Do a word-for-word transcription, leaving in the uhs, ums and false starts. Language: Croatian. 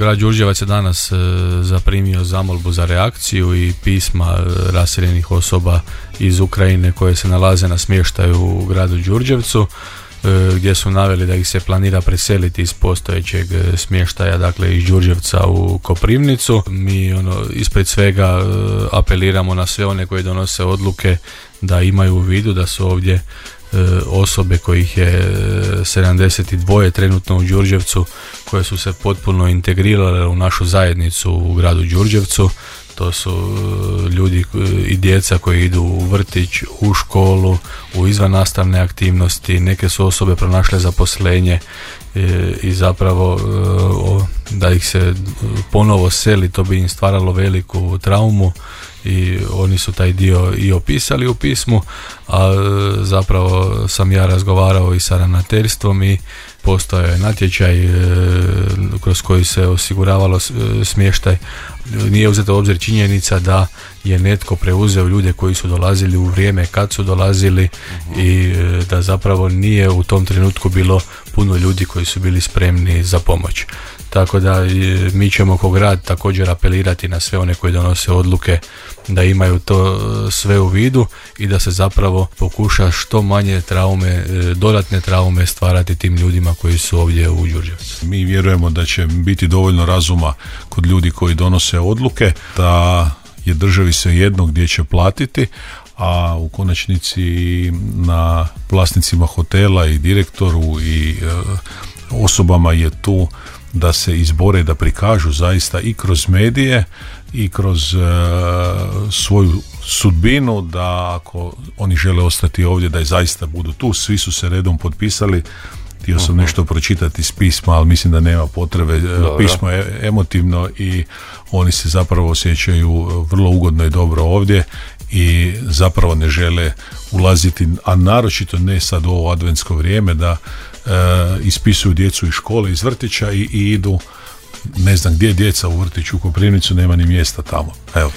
grad Đurđevac je danas zaprimio zamolbu za reakciju i pisma raseljenih osoba iz Ukrajine koje se nalaze na smještaju u gradu Đurđevcu, gdje su naveli da ih se planira preseliti iz postojećeg smještaja, dakle iz Đurđevca u Koprivnicu. Mi ono, ispred svega apeliramo na sve one koji donose odluke da imaju u vidu da su ovdje osobe kojih je sedamdeset dva trenutno u Đurđevcu, koje su se potpuno integrirale u našu zajednicu u gradu Đurđevcu. To su ljudi i djeca koji idu u vrtić, u školu, u izvannastavne aktivnosti, neke su osobe pronašle zaposlenje i zapravo da ih se ponovo seli, to bi im stvaralo veliku traumu i oni su taj dio i opisali u pismu, a zapravo sam ja razgovarao i sa ravnateljstvom i postojao je natječaj kroz koji se osiguravalo smještaj. Nije uzeta u obzir činjenica da je netko preuzeo ljude koji su dolazili u vrijeme kad su dolazili uh-huh. i da zapravo nije u tom trenutku bilo puno ljudi koji su bili spremni za pomoć. Tako da mi ćemo kao grad također apelirati na sve one koji donose odluke da imaju to sve u vidu i da se zapravo pokuša što manje traume, dodatne traume stvarati tim ljudima koji su ovdje u Đurđevcu. Mi vjerujemo da će biti dovoljno razuma kod ljudi koji donose odluke, da je državi svejedno gdje će platiti, a u konačnici na vlasnicima hotela i direktoru i e, osobama je tu da se izbore, da prikažu zaista i kroz medije i kroz e, svoju sudbinu, da ako oni žele ostati ovdje da je zaista budu tu. Svi su se redom potpisali. Htio sam uh-huh. nešto pročitati iz pisma, ali mislim da nema potrebe. Dobro. Pismo je emotivno i oni se zapravo osjećaju vrlo ugodno i dobro ovdje i zapravo ne žele ulaziti, a naročito ne sad u ovo adventsko vrijeme, da e, ispisuju djecu iz škole, iz vrtića i, i idu, ne znam gdje djeca u vrtiću u Koprivnicu, nema ni mjesta tamo. Evo.